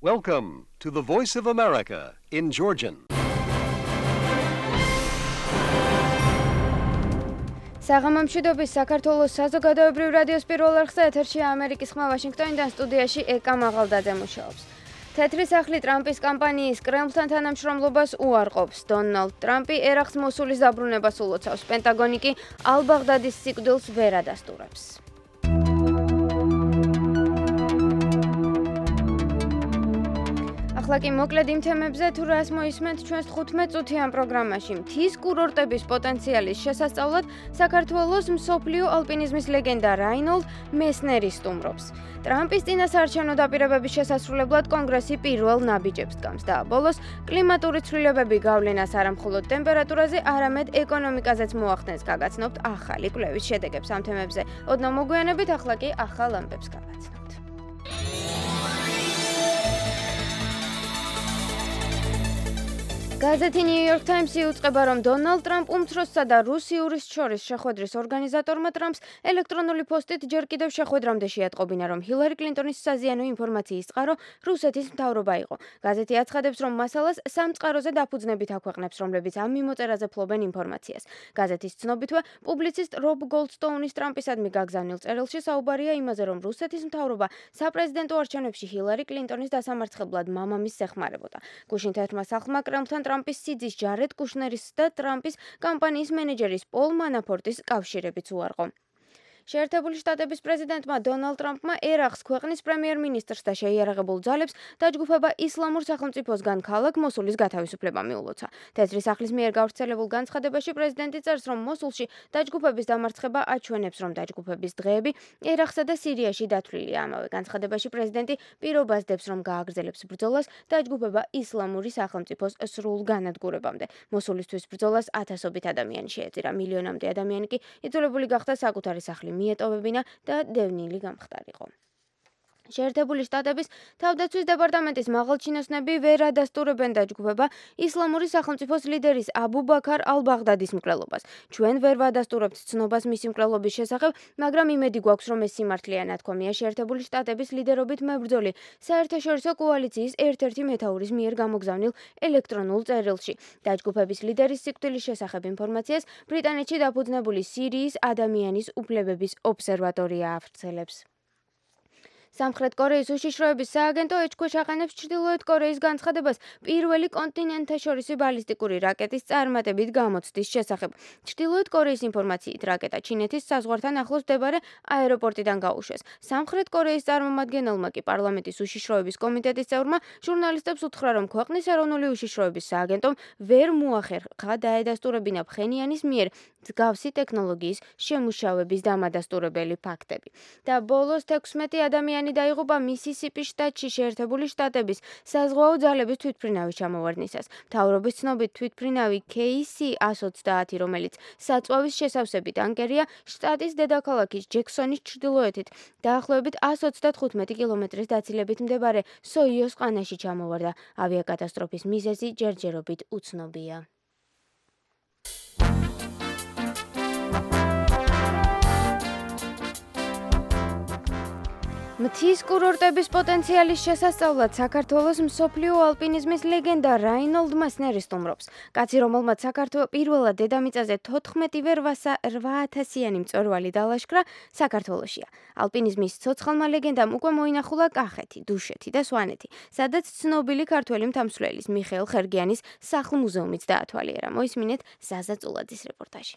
Welcome to the Voice of America in Georgian. საღამომშვიდობის საქართველოს საზოგადოებრივ რადიოს პირველ არხზე ეთერშია ამერიკის ხმა ვაშინგტონიდან სტუდიაში ეკა მაღალდაძე მუშაობს. თეთრი სახლი ტრამპის კამპანიის კრემლთან თანამშრომლობას უარყოფს. დონალდ ტრამპი ერახს მოსულის დაბრუნებას ულოცავს. პენტაგონი კი ალ-ბაღდადის სიკვდილს ვერ ადასტურებს. ახლა კი მოკლედ იმ თემებზე თუ რას მოისმენთ ჩვენს 15 წუთიან პროგრამაში. მთის კურორტების პოტენციალის შესასწავლად საქართველოს მსოფლიო ალპინიზმის ლეგენდა რაინოლდ მესნერი სტუმრობს. ტრამპის წინასაარჩევნო დაპირებების შესასრულებლად კონგრესი პირველ ნაბიჯებს დგამს და ბოლოს კლიმატური ცვლილებები გავლენას არა მხოლოდ ტემპერატურაზე, არამედ ეკონომიკაზეც მოახდენს. გაგაცნობთ ახალი კვლევის შედეგებს ამ თემებზე. ოდნავ მოგვიანებით, ახლა კი ახალ ამბებს გავაცნობთ. გაზეთი New York Times იუწყება, რომ დონალდ ტრამპ უმცროსსა და რუსიურის შორის შეხვედრის ორგანიზატორმა ტრამპს ელექტრონული პოსტით ჯერ კიდევ შეხვედრამდე შეატყობინა, რომ ჰილარი კლინტონის საზიანო ინფორმაციის წყარო რუსეთის მთავრობა იყო. გაზეთი აცხადებს, რომ მასალას სამ წყაროზე დაფუძნებით აქვეყნებს, რომლებიც ამ მიმოწერაზე ფლობენ ინფორმაციას. გაზეთის ცნობითვე, პუბლიცისტ რობ გოლდსტოუნის ტრამპისადმი გაგზავნილ წერილში საუბარია იმაზე, რომ რუსეთის მთავრობა საპრეზიდენტო არჩევნებში ჰილარი კლინტონის დასამარცხებლად მამამისს ეხმარებოდა. გუშინ თეთრმა სახლმა კრემლთან ტრამპის სიძის ჯარედ კუშნერის და ტრამპის კამპანიის მენეჯერის პოლ მანაფორტის კავშირებიც უარყო. შეერთებული შტატების პრეზიდენტმა დონალდ ტრამპმა ერახს ქვეყნის პრემიერ-მინისტრს და შეიარაღებულ ძალებს დაჯგუფება ისლამურ სახელმწიფოსგან ქალაქ მოსულის გათავისუფლება მიულოცა. თეთრი სახლის მიერ გავრცელებულ განცხადებაში პრეზიდენტი წერს, რომ მოსულში დაჯგუფების დამარცხება აჩვენებს, რომ დაჯგუფების დღეები ერახსა და სირიაში დათვლილია. ამავე განცხადებაში პრეზიდენტი პირობას დებს, რომ გააგრძელებს ბრძოლას დაჯგუფება ისლამური სახელმწიფოს სრულ განადგურებამდე. მოსულისთვის ბრძოლას ათასობით ადამიანი შეეწირა. მილიონამდე ადამიანი კი იძულებული გახდა საკუთარი სახლი მიეტოვებინა და დევნილი გამხდარიყო. შეერთებული შტატების თავდაცვის დეპარტამენტის მაღალჩინოსნები ვერ ადასტურებენ დაჯგუფება ისლამური სახელმწიფოს ლიდერის აბუ ბაქარ ალ-ბაღდადის მკვლელობას. ჩვენ ვერ ვადასტურებთ ცნობას მისი მკვლელობის შესახებ, მაგრამ იმედი გვაქვს, რომ ეს სიმართლეა, ნათქვამია შეერთებული შტატების ლიდერობით მებრძოლი საერთაშორისო კოალიციის ერთ-ერთი მეთაურის მიერ გამოგზავნილ ელექტრონულ წერილში. დაჯგუფების ლიდერის სიკვდილის შესახებ ინფორმაციას ბრიტანეთში დაფუძნებული სირიის ადამიანის უფლებების ობსერვატორია ავრცელებს. სამხრეთ კორეის უშიშროების სააგენტო ეჭქვეშ აყენებს ჩრდილოეთ კორეის განცხადებას პირველი კონტინენტთაშორისი ბალისტიკური რაკეტის წარმატებით გამოცდის შესახებ. ჩრდილოეთ კორეის ინფორმაციით, რაკეტა ჩინეთის საზღვართან ახლოს მდებარე აეროპორტიდან გაუშვეს. სამხრეთ კორეის წარმომადგენელმა კი პარლამენტის უშიშროების კომიტეტის წევრმა ჟურნალისტებს უთხრა, რომ ქვეყნის ეროვნული უშიშროების სააგენტომ ვერ მოახერხა დაედასტურებინა ფხენიანის მიერ მსგავსი ტექნოლოგიის შემუშავების დამადასტურებელი ფაქტები. და ბოლოს 16 ადამიანი დაიღუპა მისისიპის შტატში შეერთებული შტატების საზღვაო ძალების თვითმფრინავის ჩამოვარდნისას. მთავრობის ცნობით თვითმფრინავი KC-130, რომელიც საწვავის შესავსებით ანკერია შტატის დედაქალაქის ჯექსონის ჩრდილოეთით, დაახლოებით 135 კილომეტრის დაცილებით მდებარე სოიოს ყანაში ჩამოვარდა. ავიაკატასტროფის მიზეზი ჯერჯერობით უცნობია. მთის კურორტების პოტენციალის შესასწავლად საქართველოს მსოფლიო ალპინიზმის ლეგენდა რაინოლდ მესნერი სტუმრობს. კაცი, რომელმაც საქართველოს პირველად დედამიწაზე 14-ვე 8000-იანი მწვერვალი დალაშქრა, საქართველოშია. ალპინიზმის ცოცხალმა ლეგენდამ უკვე მოინახულა კახეთი, დუშეთი და სვანეთი, სადაც ცნობილი ქართველი მთამსვლელის მიხეილ ხერგიანის სახლ-მუზეუმიც დაათვალიერა. მოისმინეთ ზაზა წულაძის რეპორტაჟი.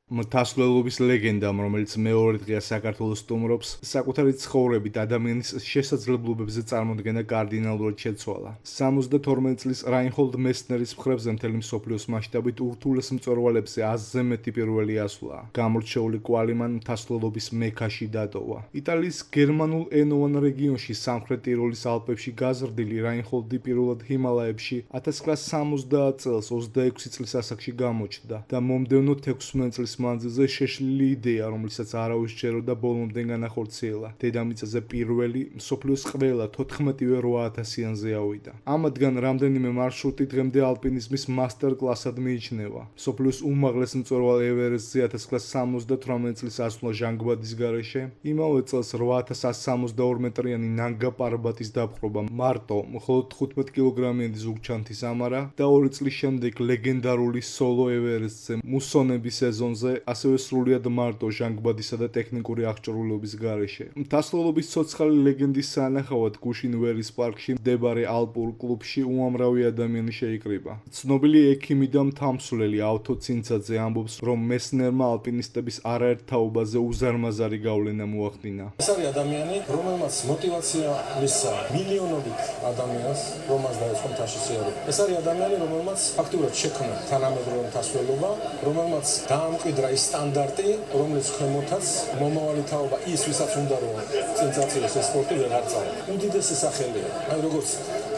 მთასვლელობის ლეგენდამ, რომელიც მეორე დღეა საქართველოს სტუმრობს, საკუთარი ცხოვრებით ადამიანის შესაძლებლობებზე წარმოდგენა კარდინალურად შეცვალა. 72 წლის რაინჰოლდ მესნერის მხრებზე მთელი მსოფლიოს მასშტაბით ურთულეს მწვერვალებზე 100-ზე მეტი პირველი ასვლა. გამორჩეული კვალი მან მთასვლელობის მექაში დატოვა. იტალიის გერმანულ ენოვან რეგიონში სამხრეთ ტიროლის ალპებში გაზრდილი რაინჰოლდი პირველად ჰიმალაებში 1970 წელს 26 წლის ასაკში გამოჩნდა და მომდევნო 16 წლის მანძილზე შეშლილი იდეა, რომლითაც არავის ჯეროდა ბოლომდე განახორციელა. დედამიწაზე პირველი, მსოფლიოს ყველა 14-ვე 8000-იანზე ავიდა. ამათგან რამდენიმე მარშრუტი დღემდე ალპინიზმის მასტერ-კლასად მიიჩნევა. მსოფლიოს უმაღლეს მწვერვალ ევერესტზე 1978 წლის ასვლა ჟანგბადის გარეშე, იმავე წელს 8162 მეტრიანი ნანგა პარბატის დაპყრობა მარტო მხოლოდ 15 კილოგრამიანი ზუგჩანთის ამარა და 2 წლის შემდეგ ლეგენდარული სოლო ევერესტზე მუსონების სეზონზე ასევე სრულიად მარტო ჟანგბადისა და ტექნიკური აღჭურვილობის გარეშე. მთასწავლობის ცოცხალი ლეგენდის სანახავად გუშინ ვერის პარკში მდებარე ალპურ კლუბში უამრავი ადამიანი შეიკრიბა. ცნობილი ექიმი და მთამსვლელი ავთო ცინცაძე ამბობს, რომ მესნერმა ალპინისტების არაერთ თაობაზე უზარმაზარი გავლენა მოახდინა. ეს არის ადამიანი, რომელმაც მოტივაცია მისცა მილიონობით ადამიანს, რომელმაც დაიწყო მთაში სიარული. ეს არის ადამიანი, რომელმაც ფაქტურად შექმნა თანამედროვე მთასვლელობა, რომელმაც დაამკვიდრა ის სტანდარტი, რომელიც ქვემოთაც მომავალი თაობა ის, ვისაც უნდა რომ სენსაციას ეს სპორტი ვეღარ წავა. უდიდესი სახელია. აი როგორც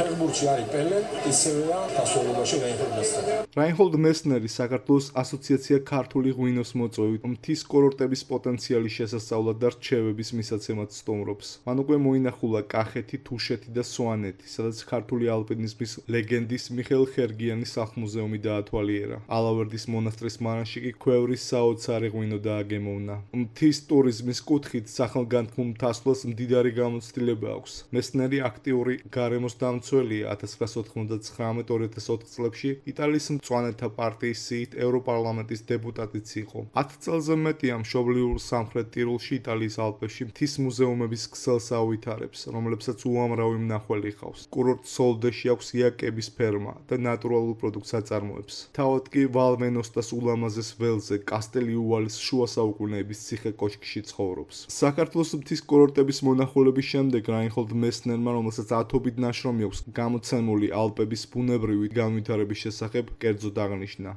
ფეხბურთში არის პელე, ისევეა მთასვლელობაში რაინჰოლდ მესნერი. რაინჰოლდ მესნერი საქართველოს ასოციაცია ქართული ღვინოს მოწვევით მთის კურორტების პოტენციალის შესასწავლად და რჩევების მისაცემად სტუმრობს. მან უკვე მოინახულა კახეთი, თუშეთი და სვანეთი, სადაც ქართული ალპინიზმის ლეგენდის მიხეილ ხერგიანის სახლ-მუზეუმი დაათვალიერა. ალავერდის მონასტრის მარანში კი ქვევრის საოცარი ღვინო დააგემოვნა. მთის ტურიზმის კუთხით სახელგანთქმულ მთასვლას მდიდარი გამოცდილება აქვს. მესნერი აქტიური გარემოს დამცველია 1999-2004 წლებში იტალიის მწვანეთა პარტიის სიით ევროპარლამენტის დეპუტატიც იყო. 10 წელზე მეტია მშობლიურ სამხრეთ ტიროლში იტალიის ალპებში მთის მუზეუმების ქსელს აუვითარებს, რომლებსაც უამრავი მნახველი ხავს. კურორტ სოლდეში აქვს იაკების ფერმა და ნატურალურ პროდუქტს აწარმოებს. თავად კი ვალმენოსტას ულამაზეს ველზე კასტელიუვალის შუა საუკუნეების ციხე კოშკში ცხოვრობს. საქართველოს მთის კურორტების მონახულების შემდეგ რაინჰოლდ მესნერმა, რომელსაც ათობით ნაშრომი აქვს გამოცემული ალპების ბუნებრივი განვითარების შესახებ, კერძოდ აღნიშნა.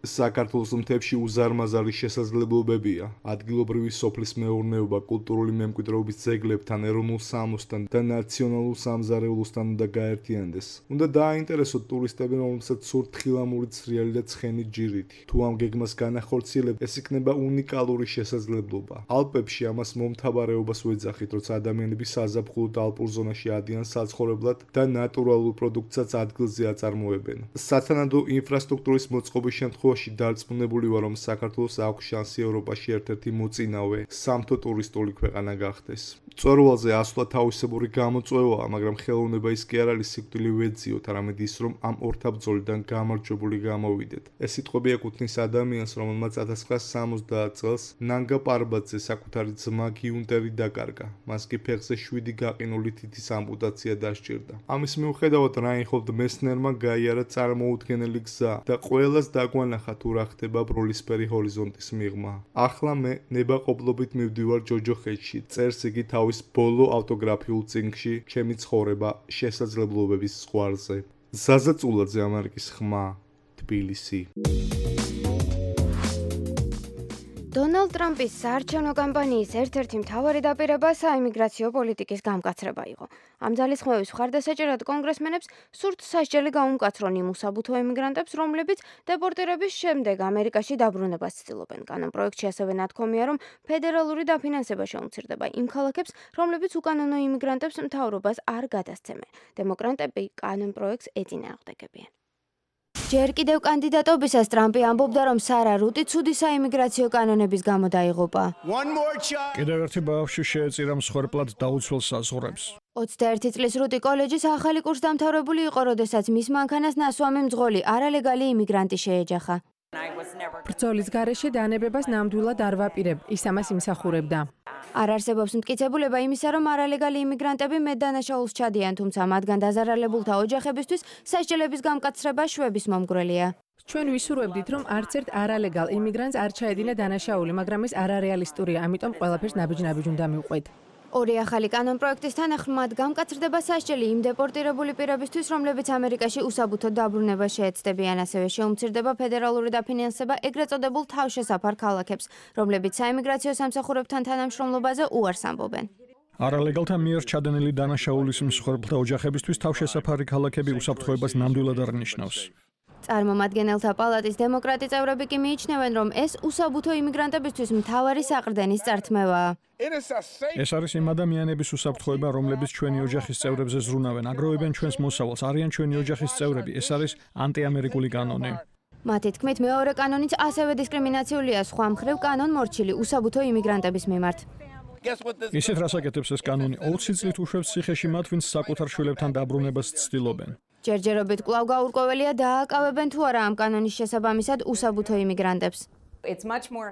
საქართველოს მთებში უზარმაზარი შესაძლებლობებია. ადგილობრივი სოფლის მეურნეობა კულტურული მემკვიდრეობის ძეგლებთან, ეროვნულ სამოსთან და ნაციონალურ სამზარეულოსთან უნდა გაერთიანდეს. უნდა დააინტერესოთ ტურისტები, რომელსაც სურთ თხილამური ცრიალი და ცხენი ჯირითი. თუ ამ გეგმას განახორციელებთ, ეს იქნება უნიკალური შესაძლებლობა. ალპებში ამას მომთაბარეობას ვეძახით, როცა ადამიანები საზაფხულოდ ალპურ ზონაში ადიან საცხოვრებლად და ნატურალურ პროდუქტსაც ადგილზე აწარმოებენ. სათანადო ინფრასტრუქტურის მოწყობის შემთხვევაში დარწმუნებული ვარ, რომ საქართველოს აქვს შანსი ევროპაში ერთ-ერთი მოწინავე სამთო ტურისტული ქვეყანა გახდეს. მწვერვალზე ასვლა თავისებური გამოწვევაა, მაგრამ ხელოვნება ის კი არ არის სიკვდილი ვეძიოთ, არამედ ის, რომ ამ ორთაბრძოლიდან გამარჯვებული გამოვიდეთ. ეს სიტყვები ეკუთვნის ადამიანს, რომელმაც 1970 წელს ნანგა პარბატზე საკუთარი ძმა გიუნტერი დაკარგა. მას კი ფეხზე 7 გაყინული თითის ამპუტაცია დასჭირდა. ამის მიუხედავად რაინჰოლდ მესნერმა გაიარა წარმოუდგენელი გზა და ყველას დაგვანახა თუ რა ხდება ბროლისფერი ჰორიზონტის მიღმა. ახლა მე ნებაყოფლობით მივდივარ ჯოჯოხეთში, წერს იგი თავის ბოლო ავტოგრაფიულ წიგნში ჩემი ცხოვრება შესაძლებლობების ზღვარზე. ზაზა წულაძე, ამერიკის ხმა, თბილისი. დონალდ ტრამპის საარჩევნო კამპანიის ერთ-ერთი მთავარი დაპირება საიმიგრაციო პოლიტიკის გამკაცრება იყო. ამ ძალისხმევის მხარდასაჭერად კონგრესმენებს სურთ სასჯელი გაუმკაცრონ იმ უსაბუთო ემიგრანტებს, რომლებიც დეპორტირების შემდეგ ამერიკაში დაბრუნებას ცდილობენ. კანონპროექტში ასევე ნათქვამია, რომ ფედერალური დაფინანსება შეუმცირდება იმ ქალაქებს, რომლებიც უკანონო იმიგრანტებს მთავრობას არ გადასცემენ. დემოკრატები კანონპროექტს ეწინააღმდეგებიან. ჯერ კიდევ კანდიდატობისას ტრამპი ამბობდა, რომ სარა რუტი ცუდი საიმიგრაციო კანონების გამო დაიღუპა. კიდევ ერთი ბავშვი შეეწირა მსხვერპლად დაუცველ საზღვრებს. 21 წლის რუტი კოლეჯის ახალი კურსდამთავრებული იყო, როდესაც მის მანქანას ნასვამი მძღოლი არალეგალი იმიგრანტი შეეჯახა. ბრძოლის გარეშე დანებებას ნამდვილად არ ვაპირებ, ის ამას იმსახურებდა. არ არსებობს მტკიცებულება იმისა, რომ არალეგალი იმიგრანტები მეტდანაშაულს ჩადიან, თუმცა მათგან დაზარალებულთა ოჯახებისთვის სასჯელების გამკაცრება შვების მომგვრელია. ჩვენ ვისურვებდით, რომ არც ერთ არალეგალ იმიგრანტს არ ჩაედინა დანაშაული, მაგრამ ეს არარეალისტურია, ამიტომ ყველაფერს ნაბიჯ-ნაბიჯ უნდა მივყვეთ. ორი ახალი კანონპროექტის თანახმად გამკაცრდება სასჯელი იმ დეპორტირებული პირებისთვის, რომლებიც ამერიკაში უსაბუთოდ დაბრუნებას შეეცდებიან, ასევე შეუმცირდება ფედერალური დაფინანსება ეგრეთ წოდებულ თავშესაფარ ქალაქებს, რომლებიც საიმიგრაციო სამსახურებთან თანამშრომლობაზე უარს ამბობენ. არალეგალთა მიერ ჩადენილი დანაშაულის მსხვერპლთა ოჯახებისთვის თავშესაფარი ქალაქები უსაფრთხოებას ნამდვილად არ ნიშნავს. წარმომადგენელთა პალატის დემოკრატი წევრები კი მიიჩნევენ, რომ ეს უსაბუთო იმიგრანტებისთვის მთავარი საყრდენის წართმევაა. ეს არის იმ ადამიანების უსაფრთხოება, რომლებიც ჩვენი ოჯახის წევრებზე ზრუნავენ, აგროვებენ ჩვენს მოსავალს, არიან ჩვენი ოჯახის წევრები. ეს არის ანტიამერიკული კანონი. მათი თქმით, მეორე კანონიც ასევე დისკრიმინაციულია სხვა მხრივ კანონ მორჩილი უსაბუთო იმიგრანტების მიმართ. ისეთ რას აკეთებს ეს კანონი? 20 წლით უშვებს ციხეში მათ, ვინც საკუთარ შვილებთან დაბრუნებას ცდილობენ. ჯერჯერობით კვლავ გაურკვეველია დააკავებენ თუ არა ამ კანონის შესაბამისად უსაბუთო იმიგრანტებს.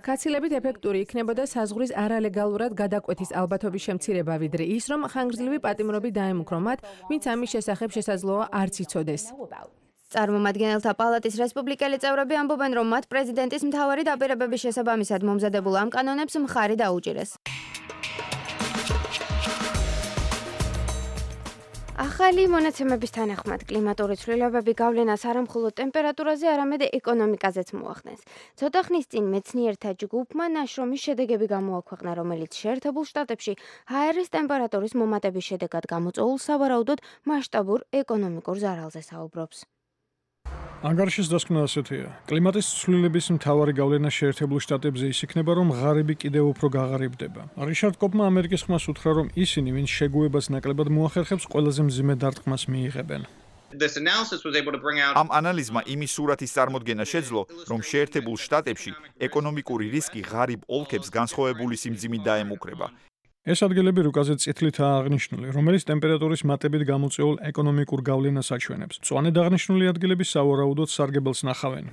კაცილებით ეფექტური იქნებოდა საზღვრის არალეგალურად გადაკვეთის ალბათობის შემცირება, ვიდრე ის, რომ ხანგრძლივი პატიმრობით დაემუქრო მათ, ვინც ამის შესახებ შესაძლოა არც იცოდეს. წარმომადგენელთა პალატის რესპუბლიკელი წევრები ამბობენ, რომ მათ პრეზიდენტის მთავარი დაპირებების შესაბამისად მომზადებულ ამ კანონებს მხარი დაუჭირეს. ახალი მონაცემების თანახმად კლიმატური ცვლილებები გავლენას არა მხოლოდ ტემპერატურაზე, არამედ ეკონომიკაზეც მოახდენს. ცოტა ხნის წინ მეცნიერთა ჯგუფმა ნაშრომის შედეგები გამოაქვეყნა, რომელიც შეერთებულ შტატებში ჰაერის ტემპერატურის მომატების შედეგად გამოწვეულ სავარაუდოდ მასშტაბურ ეკონომიკურ ზარალზე საუბრობს. ანგარიშის დასკვნა ასეთია. კლიმატის ცვლილების მთავარი გავლენა შეერთებულ შტატებზე ის იქნება, რომ ღარიბი კიდევ უფრო გაღარიბდება. რიშარდ კოპმა ამერიკის ხმას უთხრა, რომ ისინი, ვინც შეგუებას ნაკლებად მოახერხებს, ყველაზე მძიმე დარტყმას მიიღებენ. ამ ანალიზმა იმის სურათის წარმოდგენა შეძლო, რომ შეერთებულ შტატებში ეკონომიკური რისკი ღარიბ ოლქებს განსხვავებული სიმძიმით დაემუქრება. ეს ადგილები რუკაზე წითლითაა აღნიშნული, რომელიც ტემპერატურის მატებით გამოწვეულ ეკონომიკურ გავლენას აჩვენებს. მწვანედ აღნიშნული ადგილები სავარაუდოდ სარგებელს ნახავენ.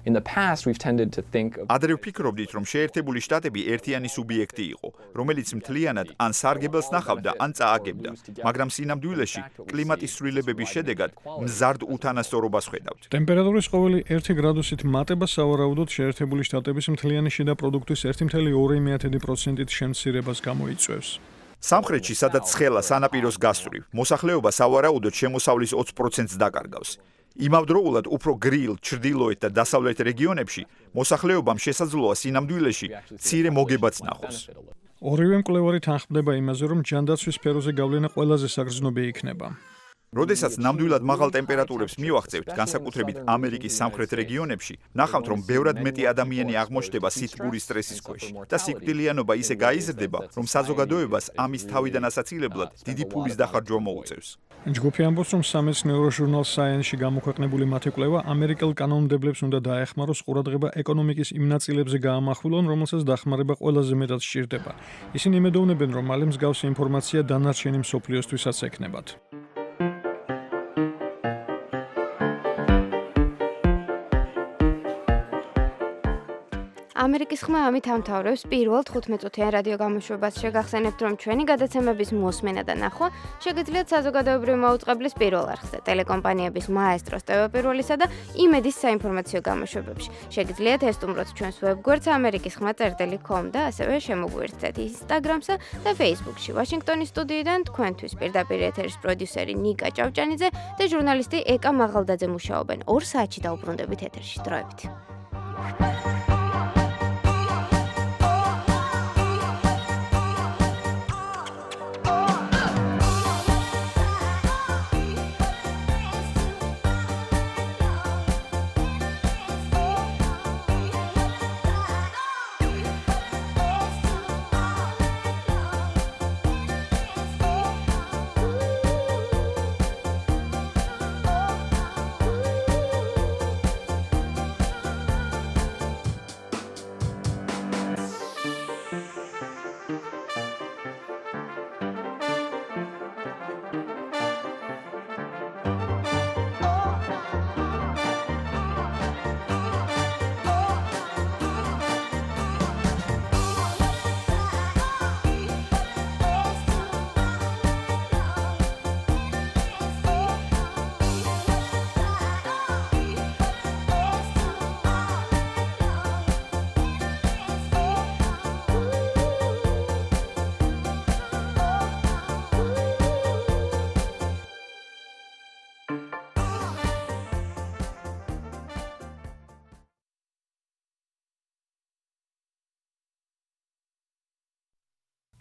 ადრე ვფიქრობდით, რომ შეერთებული შტატები ერთიანი სუბიექტი იყო, რომელიც მთლიანად ან სარგებელს ნახავდა, ან წააგებდა, მაგრამ სინამდვილეში კლიმატის ცვლილებების შედეგად მზარდ უთანასწორობას ხედავთ. ტემპერატურის ყოველი 1 გრადუსით მატება სავარაუდოდ შეერთებული შტატების მთლიანი შიდა პროდუქტის 1,2%-ით შემცირებას გამოიწვევს. სამხრეთში, სადაც ცხელა სანაპიროს გასწვრივ, მოსახლეობა სავარაუდოდ შემოსავლის 20%-ს დაკარგავს. იმავდროულად, უფრო გრილ, ჩრდილოეთ და დასავლეთ რეგიონებში მოსახლეობამ შესაძლოა სინამდვილეში მცირე მოგებაც ნახოს. ორივე მკვლევარი თანხმდება იმაზე, რომ ჯანდაცვის სფეროზე გავლენა ყველაზე საგრძნობი იქნება. როდესაც ნამდვილად მაღალ ტემპერატურებს მივახცევთ, განსაკუთრებით ამერიკის სამხრეთ რეგიონებში, ნახავთ, რომ ბევრად მეტი ადამიანი აღმოჩნდება სითბური სტრესის ქვეშ და სიკვდილიანობა ისე გაიზრდება, რომ საზოგადოებას ამის თავიდან ასაცილებლად დიდი ფულის დახარჯვა მოუწევს. ჯგუფი ამბობს, რომ სამეცნიერო ჟურნალ Science-ში გამოქვეყნებული მათი კვლევა ამერიკელ კანონმდებლებს უნდა დაეხმაროს ყურადღება ეკონომიკის იმ ნაწილებზე გაამახვილონ, რომელსაც დახმარება ყველაზე მეტად სჭირდება. ისინი იმედოვნებენ, რომ მალე მსგავსი ინფორმაცია დანარჩენი მსოფლიოსთვისაც ექნებათ. ამერიკის ხმა ამით ამთავრებს პირველ 15-წუთიან რადიო გამოშვებას. შეგახსენებთ, რომ ჩვენი გადაცემების მოსმენა და ნახვა შეგიძლიათ საზოგადოებრივი მაუწყებლის პირველ არხზე, ტელეკომპანიების მაესტროს ტელეპირველისა და იმედის საინფორმაციო გამოშვებებში. შეგიძლიათ ესტუმროთ ჩვენს ვებგვერდს amerikiskhma.com და ასევე შემოგვიერთდეთ Instagram-სა და Facebook-ში. ვაშინგტონის სტუდიიდან თქვენთვის პირდაპირ ეთერის პროდიუსერი ნიკა ჭავჭანიძე და ჟურნალისტი ეკა მაღალდაძე მუშაობენ. 2 საათში დაუბრუნდებით ეთერში. დროებით.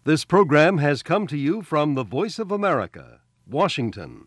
This program has come to you from the Voice of America, Washington.